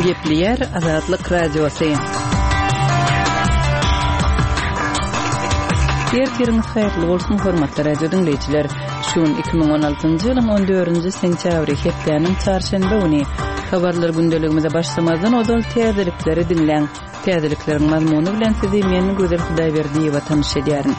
Gepleýär Azatlyk Radiosy. Ertiriňiz haýyrly bolsun, hormatly radio diňleýjiler. Şu gün 2016-njy ýylyň 14-nji sentýabry, hepdäniň çarşenbe güni. Habarlar gündeligimize başlamazdan ozal täzelikleri diňläň. Täzelikleriň mazmuny bilen sizi men Gözel Hudaýberdiýewa tanyş edýärin.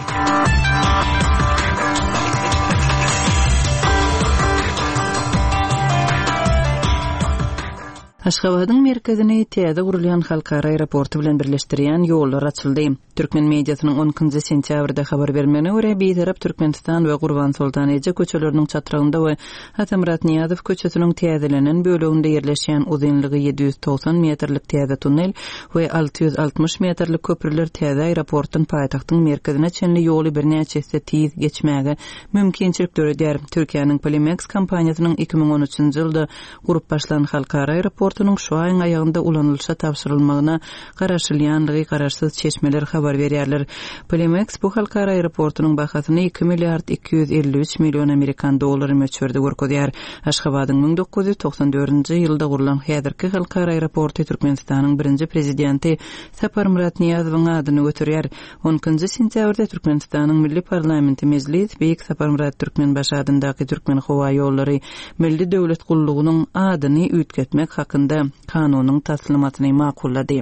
Aşgabadyň merkezini täze gurulýan halkara aeroporty bilen birleşdirýän ýollar açyldy. Türkmen mediasynyň on ikinji sentýabrda habar bermegine görä, Bitarap Türkmenistan we Gurbansoltan eje köçeleriniň çatrygynda we Atamyrat Nyýazow köçesiniň täzelenen böleginde ýerleşýän uzynlygy 790 metrlik täze tunnel we 660 metrlik köprüler täze aeroportdan paýtagtyň merkezine çenli ýoly birnäçe esse tiz geçmäge mümkinçilik döredýär. Türkiýäniň Polimeks kompaniýasynyň 2013-nji ýylda gurup başlan halkara aeroportunyň şu aýyň aýagynda ulanylyşa tabşyrylmagyna garaşylýandygy garaşsyz çeşmeler habar berýärler. Polimeks bu halkara aeroportunyň bahasyny iki milliard 253 million amerikan dollary möçberde görkezýär. Aşgabadyň 1994-nji ýylda gurlan häzirki halkara aeroporty Türkmenistanyň birinji Prezidenti Saparmyrat Nyýazowyň adyny göterýär. On ikinji sentýabrda Türkmenistanyň Milli parlamenti Mejlis Beýik Saparmyrat Türkmenbaşy adyndaky Türkmenhowaýollary Milli döwlet gullugynyň adyny üýtgetmek hakynda Kanunyň taslamasyny makullady.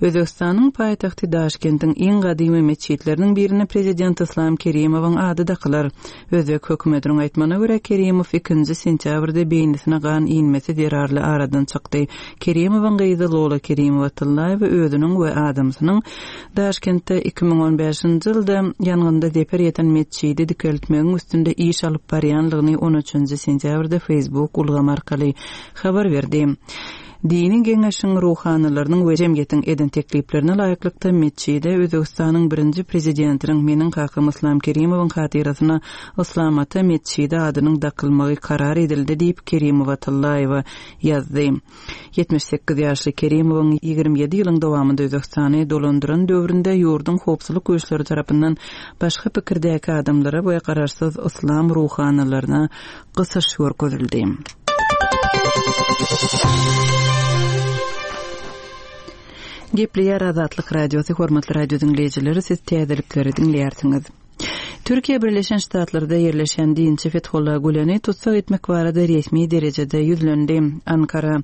Özbegistanyň paýtagty Daşkentiň iň gadymy metjitleriniň birine prezident Yslam Kerimowyň ady dakylar. Özbek hökümetiniň aýtmagyna görä, Kerimow ikinji sentýabrda beýnisine gan inmesi zerarly aradan çykdy. Kerimowyň gyzy Lola Kerimowa-Tyllaýewa özüniň we adamsynyň Daşkentde 2015-nji ýylda ýangynda zeper ýeten metjidi dikeltmegiň üstünde iş alyp barýanlygyny on üçünji sentýabrda Facebook ulgamy arkaly habar berdi. Dini geňeşiň ruhanylarynyň we jemgyýetiň eden tekliplerine laýyklykda metjide Özbegistanyň birinji prezidentiniň meniň kakam Yslam Kerimowyň hatyrasyna Yslam ata metjidi adynyň dakylmagy karar edildi diýip Kerimowa Tyllaýewa ýazdy. 78 ýaşly Kerimowyň 27 ýylyň dowamynda Özbegistany dolandyran döwründe ýurduň howpsuzlyk güýçleri tarapyndan başga pikirdäki adamlara we garaşsyz yslam ruhanylaryna gysyş görkezildi. Gepleýär Azatlyk Radiosy, hormatly radio diňleýjileri, siz täzelikleri diňleýärsiňiz. Türkiýe Birleşen Ştatlarda ýerleşen dinçi Fethullah Güleni tussag etmek barada resmi derejede ýüzlendi. Ankara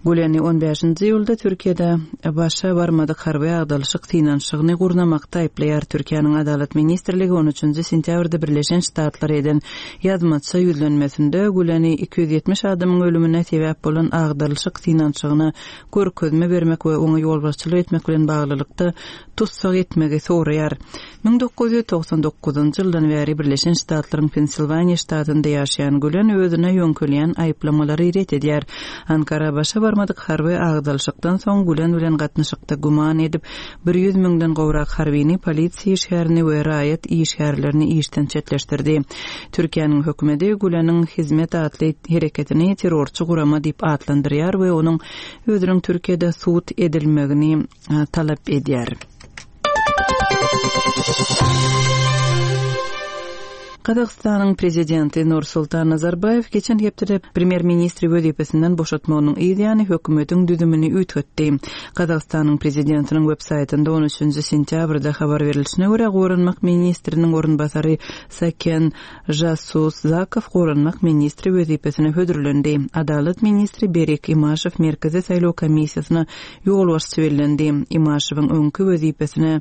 Güleni on bäşinji iýulda Türkiýede başa barmadyk harby agdalyşyk synanyşygyny gurnamakda aýyplaýar. Türkiýäniň Adalat ministrligi on üçünji sentýabrda Birleşen Ştatlara eden ýazmaça ýüzlenmesinde Güleni 270 adamyň ölümine sebäp bolan agdalyşyk synanyşygyna görkezme bermek we oňa ýolbaşçylyk etmek bilen baglylykda tussag etmegi soraýar. 1999-njy ýyldan bäri Birleşen Ştatlaryň Pensilwaniýa ştatynda ýaşaýan Gülen özüne ýöňkelýän aýyplamalary ret edýär. Ankara başa barmadyk harby agdalyşykdan soň Gülen bilen gatnaşykda güman edip, 100 müňden gowrak harbyny, polisiýa işgärini we raýat işgärlerini işden çetleşdirdi. Türkiýäniň hökümeti Güleniň Hizmet atly hereketini terrorçy gurama diýip atlandyrýar we onuň özüniň Türkiýede sud edilmegini talap edýär. Gazagystanyň prezidenti Nursultan Nazarbaýew geçen hepdede premýer-ministri wezipesinden boşatmagynyň yz ýany hökümetiň düzümini üýtgetdi. Gazagystanyň prezidentiniň web-saýtynda on üçünji sentýabrda habar berlişine görä, goranmak ministriniň orunbasary Saken Žasuzakow goranmak ministri wezipesine hödürlendi. Adalat ministri Berik Imaşew Merkezi saýlaw komissiýasyna ýolbaşçy bellendi. Imaşewiň öňki wezipesine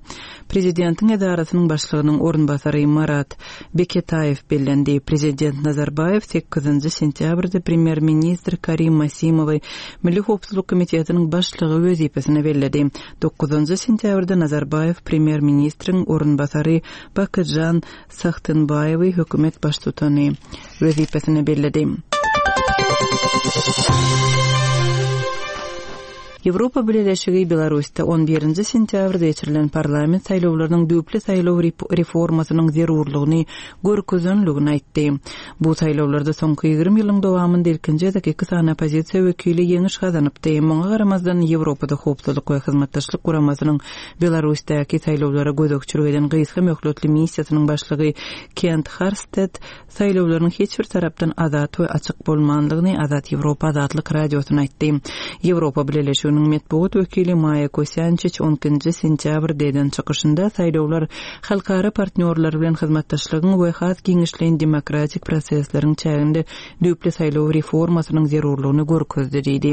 prezidentiň edarasynyň başlygynyň orunbasary Marat Beketaýew bellendi. Prezident Nazarbaýew sekizinji sentýabrda premýer-ministr Karim Masimowy Milli howpsuzlyk komitetiniň başlygy wezipesine belledi. Dokuzynjy sentýabrda Nazarbaýew premýer-ministriň orunbasary Bakytžan Sagtynbaýewi hökümet baştutany wezipesine belledi. Ýewropa Bileleşigi Belarusda on birinji sentýabrda geçirilen parlament saýlawlarynyň düýpli saýlaw reformasynyň zerurlygyny görkezenligini aýtdy. Bu saýlawlarda soňky 20 ýylyň dowamynda ilkinji gezek iki sany oppozisiýa wekili ýeňiş gazanypdy. Muňa garamazdan, Ýewropada Howpsuzlyk we Hyzmatdaşlyk Guramasynyň Belarusdaky saýlawlara gözegçilik eden gysga möhletli missiýasynyň başlygy Kent Harsted saýlawlaryň hiç bir tarapdan azat we açyk bolmandygyny Azat Ýewropa Azatlyk Radiosyna aýtdy. Ýewropa Bileleşiginiň metbugat wekili Maýa Kosýançiç on ikinji sentýabrda eden çykyşynda saýlawlar halkara partnýorlar bilen hyzmatdaşlygyň we has giňişleýin demokratik prosesleriň çäginde düýpli saýlaw reformasynyň zerurlygyny görkezdi diýdi.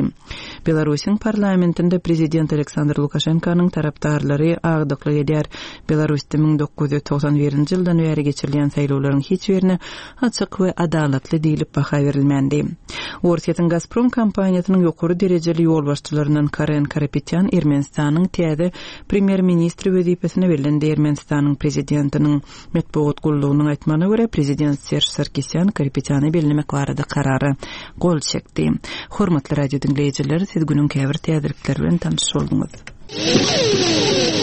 Belarusyň parlamentinde prezident Aleksandr Lukaşenkanyň tarapdarlary agdyklyk edýär. Belarusda 1991-nji ýyldan bäri geçirilýän saýlawlaryň hiç birine açyk we adalatly diýlip baha berilmändi. Orsýetiň Gazprom kompaniýasynyň ýokary derejeli ýolbaşçylaryndan Karen Karapetýan Ermenistanyň täze premýer-ministri wezipesine bellendi. Ermenistanyň prezidentiniň metbugat gullugynyň aýtmagyna görä, prezident Serž Sarkisýan Karapetýany bellemek barada karara gol çekdi. Hormatly radio diňleýjiler, siz günüň käbir täzelikleri bilen tanyş bolduňyz.